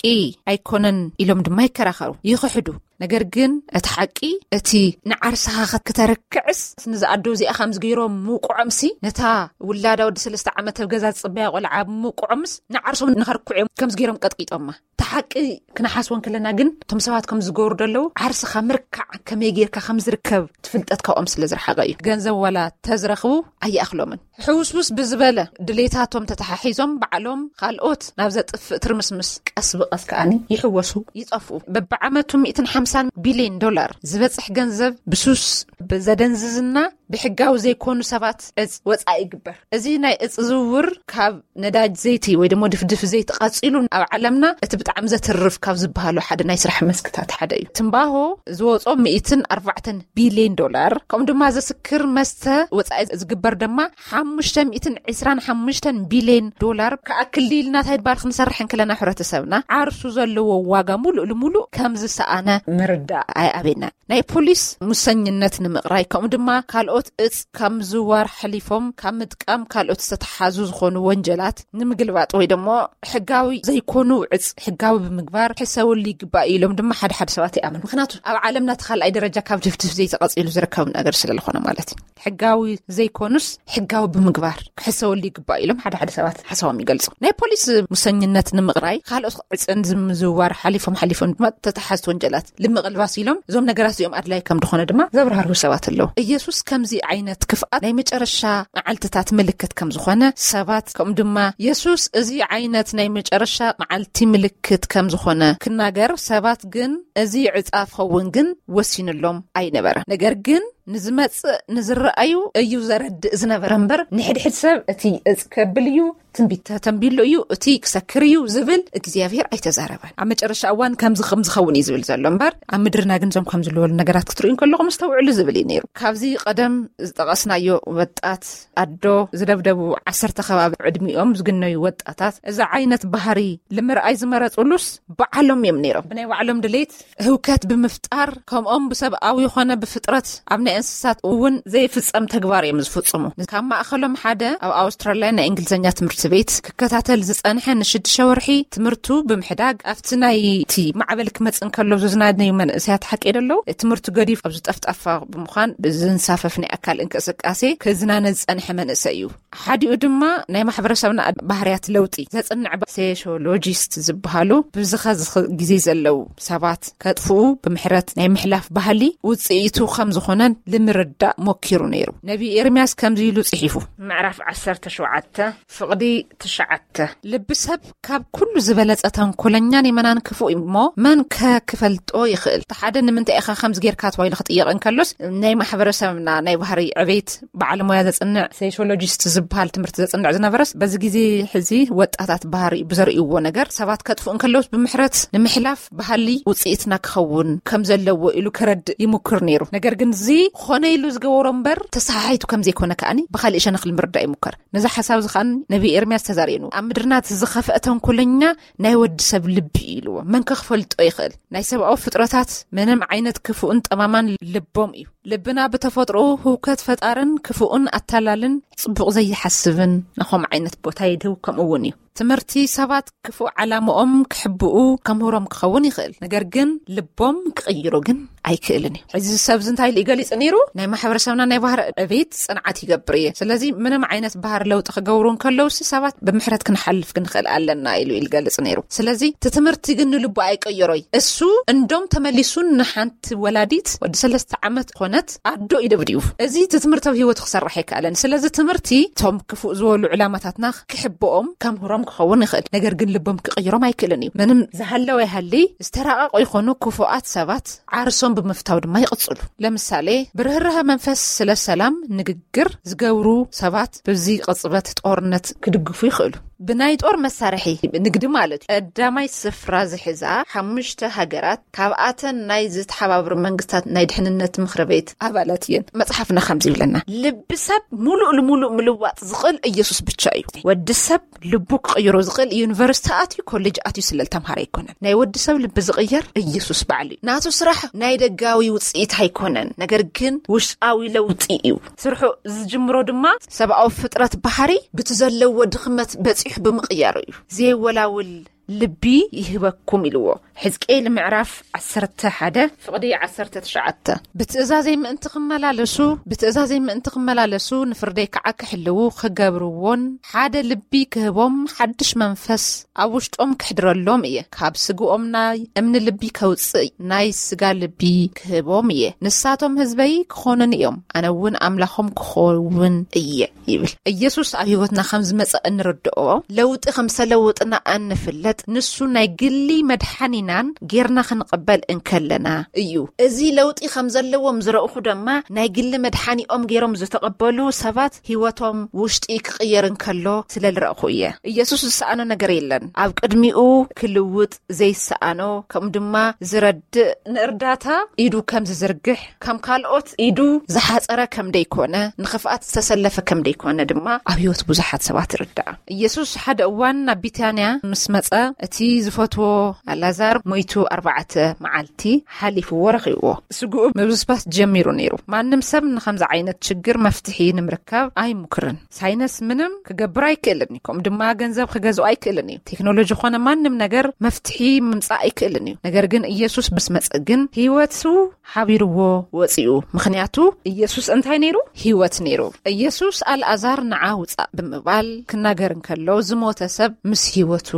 ኣይኮነን ኢሎም ድማ ይከራኸሩ፣ ይኽሕዱ። ነገር ግን እቲ ሓቂ፣ እቲ ንዓርስኻ ክተርክዕስ፣ ንዝኣዶ እዚኣ ከምዚ ገይሮም ምውቅዖምሲ፣ ነታ ውላዳ ወዲ ሰለስተ ዓመት ኣብ ገዛ ዝጽበያ ቆልዓ ምውቅዖምስ፣ ንዓርሶም ንኸርክዑ እዮም ከምዚ ገይሮም ቀጥቂጦማ። እቲ ሓቂ ክንሓስቦ እንከለና ግን፣ እቶም ሰባት ከም ዝገብሩ ዘለዉ፣ ዓርስኻ ምርካዕ ከመይ ጌርካ ከም ዝርከብ ትፍልጠት ካብኦም ስለ ዝረሓቐ እዩ። ገንዘብ ዋላ ተዝረኽቡ ኣይኣኽሎምን። ሕውስውስ ብዝበለ ድሌታቶም ተተሓሒዞም ባዕሎም ካልኦት ናብ ዘጥፍእ ትርምስምስ ቀስ ብቐስ ከኣኒ ይሕወሱ፣ ይጠፍኡ። በብዓመቱ ሚእትን ሓምሳን ቢልዮን ዶላር ዝበጽሕ ገንዘብ ብሱስ፣ ብዘደንዝዝና፣ ብሕጋዊ ዘይኮኑ ሰባት እጽ ወጻኢ ይግበር። እዚ ናይ እጽ ዝውውር ካብ ነዳጅ ዘይቲ ወይ ደሞ ድፍድፍ ዘይቲ ቀጺሉ ኣብ ዓለምና እቲ ብጣዕሚ ዘትርፍ ካብ ዝበሃሉ ሓደ ናይ ስራሕ መስክታት ሓደ እዩ። ትምባሆ ዝወጾ ሚእትን ኣርባዕተን ቢልዮን ዶላር፣ ከምኡ ድማ ዘስክር መስተ ወጻኢ ዝግበር ድማ ሓሙሽተ ሚእትን ዕስራን ሓሙሽተን ቢልዮን ዶላር ክኣክል ኢልና እንታይ ድባል ክንሰርሕ እንክለና፣ ሕብረተሰብና ዓርሱ ዘለዎ ዋጋ ሙሉእ ልሙሉእ ከም ዝሰኣነ ምርዳእ ኣይኣበየናን። ናይ ፖሊስ ሙሰኝነት ንምቕራይ፣ ከምኡ ድማ ካልኦት እጽ ካብ ምዝዋር ሓሊፎም ካብ ምጥቃም ካልኦት ዝተተሓዙ ዝኾኑ ወንጀላት ንምግልባጥ ወይ ደሞ ሕጋዊ ዘይኮኑ እጽ ሕጋዊ ብምግባር ሕሰብሉ ይግባእ ኢሎም ድማ ሓደ ሓደ ሰባት ይኣምኑ። ምኽንያቱ ኣብ ዓለምና እቲ ካልኣይ ደረጃ ካብ ድፍድፍ ዘይቲ ቀጺሉ ዝርከብ ነገር ስለ ዝኾነ ማለት እዩ። ሕጋዊ ዘይኮኑስ ሕጋዊ ብምግባር ክሕሰበሉ ይግባእ ኢሎም ሓደ ሓደ ሰባት ሓሳቦም ይገልጹ። ናይ ፖሊስ ሙሰኝነት ንምቕራይ፣ ካልኦት ዕጽን ዝምዝዋር ሓሊፎም ሓሊፎም ድማ ተተሓዝቲ ወንጀላት ንምቕልባስ ኢሎም እዞም ነገራት እዚኦም ኣድላይ ከም ዝኾነ ድማ ዘብራህርሁ ሰባት ኣለዉ። ኢየሱስ ከም እዚ ዓይነት ክፍኣት ናይ መጨረሻ መዓልትታት ምልክት ከም ዝኾነ ሰባት፣ ከምኡ ድማ የሱስ እዚ ዓይነት ናይ መጨረሻ መዓልቲ ምልክት ከም ዝኾነ ክናገር፣ ሰባት ግን እዚ ዕጻ ክኸውን ግን ወሲንሎም ኣይነበረ። ነገር ግን ንዝመጽእ ንዝረኣዩ እዩ ዘረድእ ዝነበረ እምበር፣ ንሕድሕድ ሰብ እቲ እጽ ከብል እዩ፣ ትንቢት ተተንቢሉ እዩ፣ እቲ ክሰክር እዩ ዝብል እግዚኣብሔር ኣይተዛረበን። ኣብ መጨረሻ እዋን ከምዚ ከም ዝኸውን እዩ ዝብል ዘሎ እምበር፣ ኣብ ምድርና ግን እዞም ከም ዝለወሉ ነገራት ክትርእዩ እንከለኹም እስተውዕሉ ዝብል እዩ ነይሩ። ካብዚ ቀደም ዝጠቐስናዮ ወጣት ኣዶ ዝደብደቡ ዓሰርተ ከባቢ ዕድሚኦም ዝግነዩ ወጣታት እዚ ዓይነት ባህሪ ንምርኣይ ዝመረጹሉስ ባዕሎም እዮም ነይሮም። ብናይ ባዕሎም ድሌት ህውከት ብምፍጣር፣ ከምኦም ብሰብኣዊ ይኾነ ብፍጥረት ኣብ ናይ እንስሳት እውን ዘይፍጸም ተግባር እዮም ዝፍጽሙ። ካብ ማእኸሎም ሓደ ኣብ ኣውስትራልያ ናይ እንግሊዝኛ ትምህርቲ ቤት ክከታተል ዝጸንሐ ንሽዱሽተ ወርሒ ትምህርቱ ብምሕዳግ፣ ኣብቲ ናይ እቲ ማዕበል ክመጽእ እንከሎ ዝዝናነዩ መንእሰያት ሓቂ ደለዉ ትምህርቱ ገዲፍ ኣብ ዝጠፍጣፋ ብምዃን ብዝንሳፈፍ ናይ ኣካል እንቅስቃሴ ክዝናነ ዝጸንሐ መንእሰይ እዩ። ሓዲኡ ድማ ናይ ማሕበረሰብና ባህርያት ለውጢ ዘጽንዕ ባ-፣ ሴሾሎጂስት ዝበሃሉ ብዝኸ ዝኸ ግዜ ዘለዉ ሰባት ከጥፍኡ ብምሕረት ናይ ምሕላፍ ባህሊ ውጽኢቱ ከም ዝኾነን ንምርዳእ ሞኪሩ ነይሩ። ነቢ ኤርምያስ ከምዚ ኢሉ ጽሒፉ። ምዕራፍ ዓሰርተ ሸውዓተ ፍቕዲ ትሽዓተ። ልቢ ሰብ ካብ ኩሉ ዝበለጸ ተንኮለኛን የመናን ክፉእ እዩ እሞ መን ከ ክፈልጦ ይኽእል? እቲ ሓደ ንምንታይ ኢኻ ከምዚ ጌርካ ተባሂሉ ክጥየቕ እንከሎስ ናይ ማሕበረሰብና ናይ ባህሪ ዕቤት በዓል ሞያ ዘጽንዕ ሴሾሎጂስት ዝበሃል ትምህርቲ ዘጽንዕ ዝነበረስ፣ በዚ ግዜ ሕዚ ወጣታት ባህሪ ብዘርእይዎ ነገር ሰባት ከጥፍኡ እንከለውስ ብምሕረት ንምሕላፍ ባህሊ ውጽኢትና ክኸውን ከም ዘለዎ ኢሉ ክረድእ ይሙክር ነይሩ። ነገር ግን እዚ ኾነ ኢሉ ዝገበሮ እምበር ተሰሓሒቱ ከም ዘይኮነ ከኣኒ ብኻሊእ ሸነኽ ንምርዳእ ይሙከር። ነዚ ሓሳብ እዚ ከኣ ነቢ ኤርምያስ ተዛሪኑ፣ ኣብ ምድርና እቲ ዝኸፍአ ተንኮለኛ ናይ ወዲ ሰብ ልቢ እዩ ኢልዎ። መን ከ ክፈልጦ ይኽእል? ናይ ሰብኣዊ ፍጥረታት ምንም ዓይነት ክፉእን ጠማማን ልቦም እዩ። ልብና ብተፈጥሮ ህውከት ፈጣርን ክፉእን ኣታላልን ጽቡቕ ዘይሓስብን ንኸም ዓይነት ቦታ ይድህው። ከምኡ እውን እዩ ትምህርቲ ሰባት ክፉእ ዓላምኦም ክሕብኡ ከምህሮም ክኸውን ይኽእል። ነገር ግን ልቦም ክቕይሮ ግን ኣይክእልን እዩ። ሕዚ ሰብ እዚ እንታይ ኢሉ ገሊጹ ነይሩ? ናይ ማሕበረሰብና ናይ ባህሪ ዕቤት ጽንዓት ይገብር እየ። ስለዚ ምንም ዓይነት ባህሪ ለውጢ ክገብሩ እንከለውሲ ሰባት ብምሕረት ክንሓልፍ ክንኽእል ኣለና ኢሉ ይገልጽ ነይሩ። ስለዚ እቲ ትምህርቲ ግን ንልቡ ኣይቀየሮይ። እሱ እንዶም ተመሊሱ ንሓንቲ ወላዲት ወዲ ሰለስተ ዓመት ኾነት ኣዶ ይደብድቡ። እዚ እቲ ትምህርቲ ኣብ ህይወቱ ክሰርሕ ኣይከኣለን። ስለዚ ትምህርቲ እቶም ክፉእ ዝበሉ ዕላማታትና ክሕብኦም ከምህሮም ክኸውን ይኽእል። ነገር ግን ልቦም ክቕይሮም ኣይክእልን እዩ። ምንም ዝሃለወ ይሃሊ ዝተራቐቑ ይኾኑ ክፉኣት ሰባት ዓርሶም ብምፍታው ድማ ይቕጽሉ። ለምሳሌ ብርህራሀ መንፈስ ስለ ሰላም ንግግር ዝገብሩ ሰባት በዚ ቅጽበት ጦርነት ክድግፉ ይኽእሉ። ብናይ ጦር መሳርሒ ንግዲ ማለት እዩ። ቀዳማይ ስፍራ ዝሕዛ ሓሙሽተ ሃገራት ካብኣተን ናይ ዝተሓባበሩ መንግስታት ናይ ድሕንነት ምኽሪ ቤት ኣባላት እየን። መጽሓፍና ከምዚ ይብለና፣ ልቢ ሰብ ሙሉእ ልሙሉእ ምልዋጥ ዝኽእል ኢየሱስ ብቻ እዩ። ወዲ ሰብ ልቡ ክቕይሮ ዝኽእል ዩኒቨርሲቲ ኣትዩ ኮሌጅ ኣትዩ ስለ ዝተምሃረ ኣይኮነን። ናይ ወዲ ሰብ ልቢ ዝቕየር ኢየሱስ ባዕሉ እዩ። ናቱ ስራሕ ናይ ደጋዊ ውጽኢት ኣይኮነን፣ ነገር ግን ውሽጣዊ ለውጢ እዩ። ስርሑ ዝጅምሮ ድማ ሰብኣዊ ፍጥረት ባህሪ ብቲ ዘለዎ ድኽመት በጺሑ ብምቕያሩ እዩ። ዘይወላውል ልቢ ይህበኩም ኢልዎ። ሕዝቅኤል ምዕራፍ ዓሰርተ ሓደ ፍቕዲ ዓሰርተ ትሽዓተ። ብትእዛዘይ ምእንቲ ክመላለሱ፣ ብትእዛዘይ ምእንቲ ክመላለሱ፣ ንፍርደይ ከዓ ክሕልዉ ክገብርዎን ሓደ ልቢ ክህቦም ሓድሽ መንፈስ ኣብ ውሽጦም ክሕድረሎም እየ። ካብ ስግኦም ናይ እምኒ ልቢ ከውፅእ ናይ ስጋ ልቢ ክህቦም እየ። ንሳቶም ህዝበይ ክኾኑን እዮም፣ ኣነ እውን ኣምላኾም ክኸውን እየ ይብል። ኢየሱስ ኣብ ህይወትና ከም ዝመጸ እንርድኦ ለውጢ ከም ዝተለወጥና እንፍለጥ ንሱ ናይ ግሊ መድሓኒናን ጌርና ክንቕበል እንከለና እዩ። እዚ ለውጢ ከም ዘለዎም ዝረእኹ ድማ ናይ ግሊ መድሓኒኦም ጌሮም ዝተቐበሉ ሰባት ህይወቶም ውሽጢ ክቕየር እንከሎ ስለ ዝረእኹ እየ። ኢየሱስ ዝሰኣኖ ነገር የለን። ኣብ ቅድሚኡ ክልውጥ ዘይሰኣኖ ከምኡ ድማ ዝረድእ ንእርዳታ ኢዱ ከም ዝዝርግሕ ከም ካልኦት ኢዱ ዝሓጸረ ከም ደይኮነ ንኽፍኣት ዝተሰለፈ ከም ደይኮነ ድማ ኣብ ህይወት ብዙሓት ሰባት ይርዳእ። ኢየሱስ ሓደ እዋን ናብ ቢታንያ ምስ መጸ እቲ ዝፈትዎ ኣላዛር ሞይቱ ኣርባዕተ መዓልቲ ሓሊፍዎ ረኺብዎ። ስግኡ ምብስባስ ጀሚሩ ነይሩ። ማንም ሰብ ንኸምዚ ዓይነት ችግር መፍትሒ ንምርካብ ኣይሙክርን። ሳይነስ ምንም ክገብር ኣይክእልን እዩ። ከምኡ ድማ ገንዘብ ክገዝኦ ኣይክእልን እዩ። ቴክኖሎጂ ኾነ ማንም ነገር መፍትሒ ምምጻእ ኣይክእልን እዩ። ነገር ግን ኢየሱስ ምስ መጸ ግን ህይወቱ ሓቢርዎ ወፂኡ። ምኽንያቱ ኢየሱስ እንታይ ነይሩ? ህይወት ነይሩ። ኢየሱስ ኣልኣዛር ንዓ ውፃእ ብምባል ክናገር እንከሎ ዝሞተ ሰብ ምስ ህይወቱ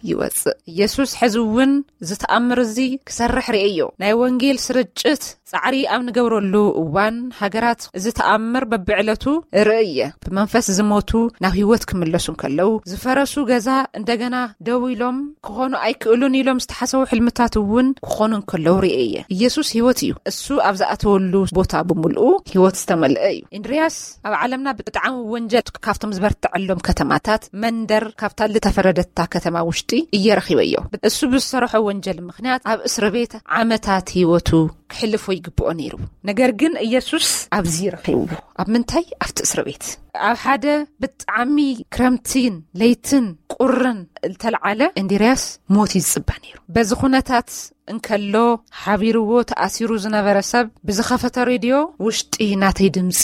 ይወፅእ። ኢየሱስ ሕዚ እውን ዝተኣምር እዚ ክሰርሕ ርእዮ። ናይ ወንጌል ስርጭት ጻዕሪ ኣብ ንገብረሉ እዋን ሃገራት እዚ ተኣምር በብዕለቱ ርእየ። ብመንፈስ ዝሞቱ ናብ ህይወት ክምለሱ እንከለዉ፣ ዝፈረሱ ገዛ እንደገና ደው ኢሎም ክኾኑ ኣይክእሉን ኢሎም ዝተሓሰቡ ሕልምታት እውን ክኾኑ እንከለዉ ርእየ። ኢየሱስ ህይወት እዩ። እሱ ኣብ ዝኣተወሉ ቦታ ብምልኡ ህይወት ዝተመልአ እዩ። ኢንድርያስ ኣብ ዓለምና ብጣዕሚ ወንጀል ካብቶም ዝበርትዐሎም ከተማታት መንደር ካብታ ዝተፈረደታ ከተማ ውሽጢ እየ ረኺበዮ። እሱ ብዝሰርሖ ወንጀል ምኽንያት ኣብ እስር ቤት ዓመታት ህይወቱ ክሕልፎ ይግብኦ ነይሩ። ነገር ግን ኢየሱስ ኣብዚ ረኺብዎ። ኣብ ምንታይ? ኣብቲ እስር ቤት። ኣብ ሓደ ብጣዕሚ ክረምቲን ለይትን ቁርን ዝተልዓለ እንድርያስ ሞት ይዝጽበ ነይሩ። በዚ ኩነታት እንከሎ ሓቢርዎ ተኣሲሩ ዝነበረ ሰብ ብዝኸፈተ ሬድዮ ውሽጢ ናተይ ድምፂ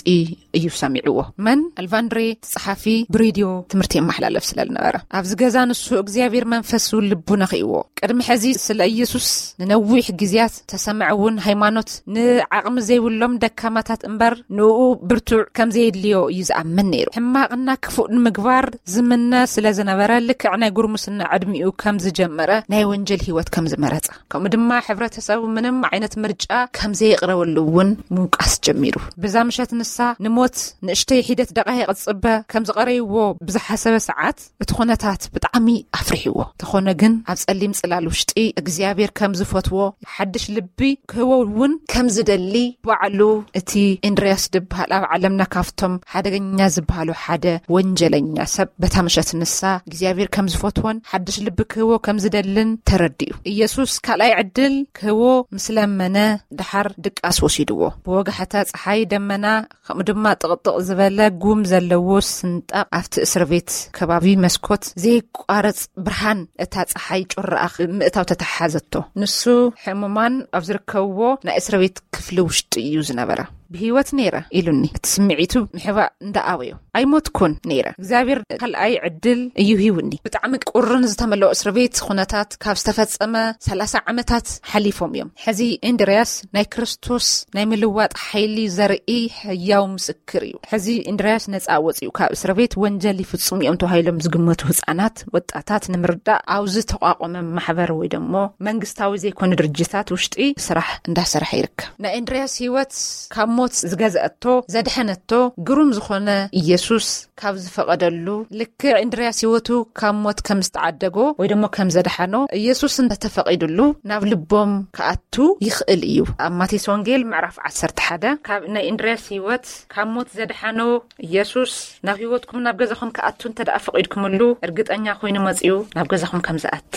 እዩ ሰሚዕዎ። መን? ኣልቫንድሬ፣ እቲ ጸሓፊ፣ ብሬድዮ ትምህርቲ የመሓላለፍ ስለ ዝነበረ። ኣብዚ ገዛ ንሱ እግዚኣብሔር መንፈስ እውን ልቡ ነኺእዎ። ቅድሚ ሕዚ ስለ ኢየሱስ ንነዊሕ ግዜያት ተሰምዐ እውን ሃይማኖት ንዓቕሚ ዘይብሎም ደካማታት እምበር ንኡ ብርቱዕ ከም ዘየድልዮ እዩ ዝኣምን ነይሩ። ሕማቕና ክፉእ ንምግባር ዝምነ ስለ ዝነበረ ልክዕ ናይ ጉርምስና ዕድሚኡ ከም ዝጀመረ ናይ ወንጀል ህይወት ከም ዝመረጸ ከምኡ ድማ ሕብረተሰቡ ምንም ዓይነት ምርጫ ከም ዘየቕረበሉ እውን ምውቃስ ጀሚሩ። ብዛ ምሸት ንሳ ንሞት ንእሽተይ ሒደት ደቓይቕ ዝጽበ ከም ዝቐረይዎ ብዝሓሰበ ሰዓት እቲ ኩነታት ብጣዕሚ ኣፍሪሕዎ። ተኾነ ግን ኣብ ጸሊም ጽላል ውሽጢ እግዚኣብሔር ከም ዝፈትዎ ሓድሽ ልቢ ክህቦ እውን ከም ዝደሊ ባዕሉ እቲ እንድርያስ ዝበሃል ኣብ ዓለምና ካብቶም ሓደገኛ ዝበሃሉ ሓደ ወንጀለኛ ሰብ በታ ምሸት ንሳ እግዚኣብሔር ከም ዝፈትዎን ሓድሽ ልቢ ክህቦ ከም ዝደልን ተረዲኡ። ኢየሱስ ካልኣይ ዕድል ክህቦ ምስ ለመነ ደሓር ድቃስ ወሲድዎ። ብወጋሕታ ጸሓይ ደመና ከምኡ ድማ ጥቕጥቕ ዝበለ ጉም ዘለዎ ስንጣቕ ኣብቲ እስር ቤት ከባቢ መስኮት ዘይቋረጽ ብርሃን እታ ጸሓይ ጩራኣ ምእታው ተተሓሓዘቶ። ንሱ ሕሙማን ኣብ ዝርከብዎ ናይ እስር ቤት ክፍሊ ውሽጢ እዩ ዝነበረ። ብህይወት ነይረ ኢሉኒ። እቲ ስምዒቱ ምሕባእ እንዳኣበዮ ኣይሞትኩን ነይረ። እግዚኣብሔር ካልኣይ ዕድል እዩ ሂውኒ። ብጣዕሚ ቁርን ዝተመለኦ እስር ቤት ኩነታት ካብ ዝተፈጸመ ሰላሳ ዓመታት ሓሊፎም እዮም። ሕዚ እንድርያስ ናይ ክርስቶስ ናይ ምልዋጥ ሓይሊ ዘርኢ ህያው ምስክር እዩ። ሕዚ እንድርያስ ነጻ ወጺኡ ካብ እስር ቤት። ወንጀል ይፍጽሙ እዮም ተባሂሎም ዝግመቱ ህጻናት፣ ወጣታት ንምርዳእ ኣብ ዝተቋቋመ ማሕበር ወይ ደሞ መንግስታዊ ዘይኮነ ድርጅታት ውሽጢ ስራሕ እንዳሰርሐ ይርከብ። ናይ እንድርያስ ህይወት ካብ ሞት ዝገዝአቶ፣ ዘድሐነቶ ግሩም ዝኾነ ኢየሱስ ካብ ዝፈቐደሉ፣ ልክዕ እንድርያስ ህይወቱ ካብ ሞት ከም ዝተዓደጎ ወይ ደሞ ከም ዘድሓኖ ኢየሱስ እንተተፈቒዱሉ ናብ ልቦም ክኣቱ ይኽእል እዩ። ኣብ ማቴዎስ ወንጌል ምዕራፍ ዓሰርተ ሓደ ካብ ናይ እንድርያስ ህይወት ካብ ሞት ዘድሓኖ ኢየሱስ ናብ ህይወትኩም ናብ ገዛኹም ክኣቱ እንተ ደኣ ፈቒድኩምሉ እርግጠኛ ኮይኑ መጺኡ ናብ ገዛኹም ከም ዝኣቲ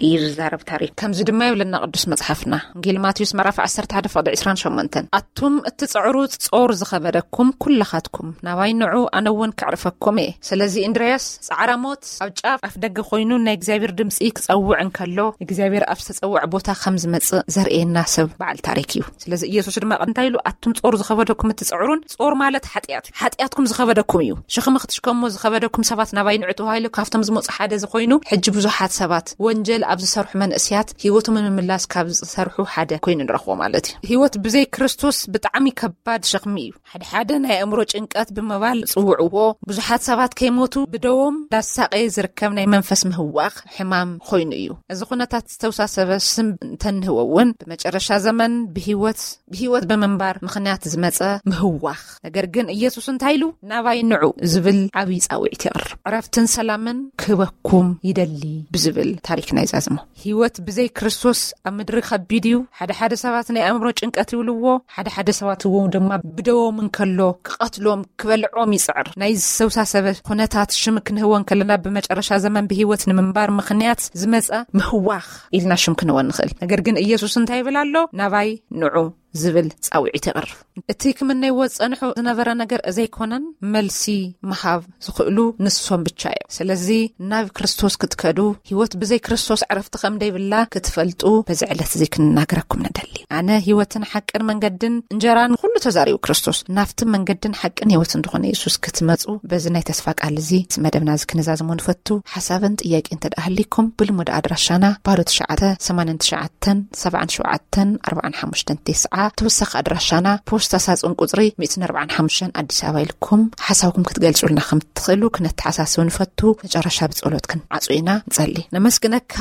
እዩ ዝዛረብ ታሪክ። ከምዚ ድማ ይብለና ቅዱስ መጽሓፍና፣ ወንጌል ማቴዎስ ምዕራፍ ዓሰርተ ሓደ ፍቕዲ ዕስራን ሸሞንተን፣ ኣቱም እትጽዕሩ ጾር ዝኸበደኩም ኩላኻትኩም ናባይ ንዑ፣ ኣነ እውን ከዕርፈኩም እየ። ስለዚ እንድርያስ ጻዕራ ሞት ኣብ ጫፍ ኣፍ ደገ ኮይኑ ናይ እግዚኣብሔር ድምጺ ክጸውዕ እንከሎ እግዚኣብሔር ኣብ ዝተጸውዐ ቦታ ከም ዝመጽእ ዘርእየና ሰብ በዓል ታሪክ እዩ። ስለዚ ኢየሱስ ድማ እንታይ ኢሉ? ኣቱም ጾር ዝኸበደኩም እትጽዕሩን፣ ጾር ማለት ሓጢኣት፣ ሓጢኣትኩም ዝኸበደኩም እዩ። ሸኽሚ ክትሽከሞ ዝኸበደኩም ሰባት ናባይ ንዑ ተባሂሉ ካብቶም ዝመጹ ሓደ ዝኾይኑ፣ ሕጂ ብዙሓት ሰባት ወንጀል ኣብ ዝሰርሑ መንእስያት ህይወቶም ንምምላስ ካብ ዝሰርሑ ሓደ ኮይኑ ንረኽቦ ማለት እዩ። ህይወት ብዘይ ክርስቶስ ብጣዕሚ ከባድ ሸኽሚ እዩ። ሓደ ሓደ ናይ ኣእምሮ ጭንቀት ብምባል ጽውዕዎ፣ ብዙሓት ሰባት ከይሞቱ ብደዎም እንዳሳቐየ ዝርከብ ናይ መንፈስ ምህዋኽ ሕማም ኮይኑ እዩ። እዚ ኩነታት ዝተውሳሰበ ስም እንተንህቦ እውን ብመጨረሻ ዘመን ብህይወት ብህይወት ብምንባር ምኽንያት ዝመጸ ምህዋኽ። ነገር ግን ኢየሱስ እንታይ ኢሉ? ናባይ ንዑ ዝብል ዓብዪ ጻውዒት የቕርብ። ዕረፍትን ሰላምን ክህበኩም ይደሊ ብዝብል ታሪክና ይዛዝሞ። ህይወት ብዘይ ክርስቶስ ኣብ ምድሪ ከቢድ እዩ። ሓደ ሓደ ሰባት ናይ ኣእምሮ ጭንቀት ይብልዎ፣ ሓደ ሓደ ሰባት እውን ድማ ብደዎም እንከሎ ክቐትሎም ክበልዖም ይጽዕር። ናይ ዝተውሳሰበ ኩነታት ሽም ክንህቦ እንከለና ብመጨረሻ ዘመን ብህይወት ንምንባር ምኽንያት ዝመጸ ምህዋኽ ኢልና ሽም ክንህቦ ንኽእል። ነገር ግን ኢየሱስ እንታይ ይብል ኣሎ? ናባይ ንዑ ዝብል ጻውዒት የቕርብ። እቲ ክምነይዎ ዝጸንሑ ዝነበረ ነገር ዘይኮነን፣ መልሲ ምሃብ ዝኽእሉ ንሶም ብቻ እዮም። ስለዚ ናብ ክርስቶስ ክትከዱ፣ ህይወት ብዘይ ክርስቶስ ዕረፍቲ ከም ደይብላ ክትፈልጡ በዚ ዕለት እዚ ክንናገረኩም ንደሊ። ኣነ ህይወትን ሓቅን መንገድን እንጀራን ኩሉ ተዛሪቡ ክርስቶስ። ናብቲ መንገድን ሓቅን ህይወትን ዝኾነ የሱስ ክትመጹ በዚ ናይ ተስፋ ቃል እዚ መደብና እዚ ክንዛዝሞ ንፈቱ። ሓሳብን ጥያቄ እንተ ደኣ ሃሊኩም ብልሙድ ኣድራሻና ባዶ ትሽዓተ ሰማንያን ትሽዓተን ሰብዓን ሸውዓተን ኣርባዓን ሓሙሽተን ተስዓ ኣብ ተወሳኺ ኣድራሻና ፖስታ ሳጹን ቁጽሪ ሚእትን ኣርባዓን ሓሙሽተን ኣዲስ ኣበባ ኢልኩም ሓሳብኩም ክትገልጹልና ከም ትኽእሉ ክነተሓሳስብ ንፈቱ። መጨረሻ ብጸሎት ክንዓጹ ኢና። ንጸሊ። ነመስግነካ።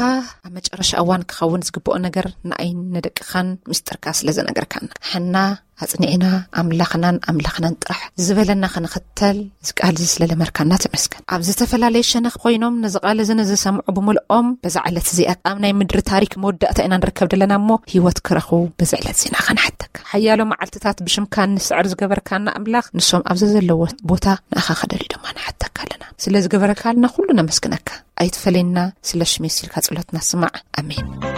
ኣብ መጨረሻ እዋን ክኸውን ዝግብኦ ነገር ንኣይን ንደቅኻን ምስጢርካ ስለ ዘነገርካና፣ ሕና ኣጽኒዕና ኣምላኽናን ኣምላኽናን ጥራሕ ዝበለና ክንኽተል እዚ ቃል እዚ ስለ ለመርካና ተመስገን። ኣብ ዝተፈላለየ ሸነኽ ኮይኖም ነዚ ቃል እዚ ንዝሰምዑ ብምልኦም በዛ ዕለት እዚኣ ኣብ ናይ ምድሪ ታሪክ መወዳእታ ኢና ንርከብ ዘለና እሞ ህይወት ክረኽቡ በዚ ዕለት እዚና ከንሓተካ። ሓያሎ መዓልትታት ብሽምካ ንስዕር ዝገበርካና ኣምላኽ ንሶም ኣብዚ ዘለዎ ቦታ ንኣኻ ከደልዩ ድማ ንሓተካ ኣለና። ስለ ዝገበረካልና ኩሉ ነመስግነካ። ኣይትፈለየና፣ ስለ ሽመይ ሲልካ ጸሎትና ስማዕ። ኣሜን።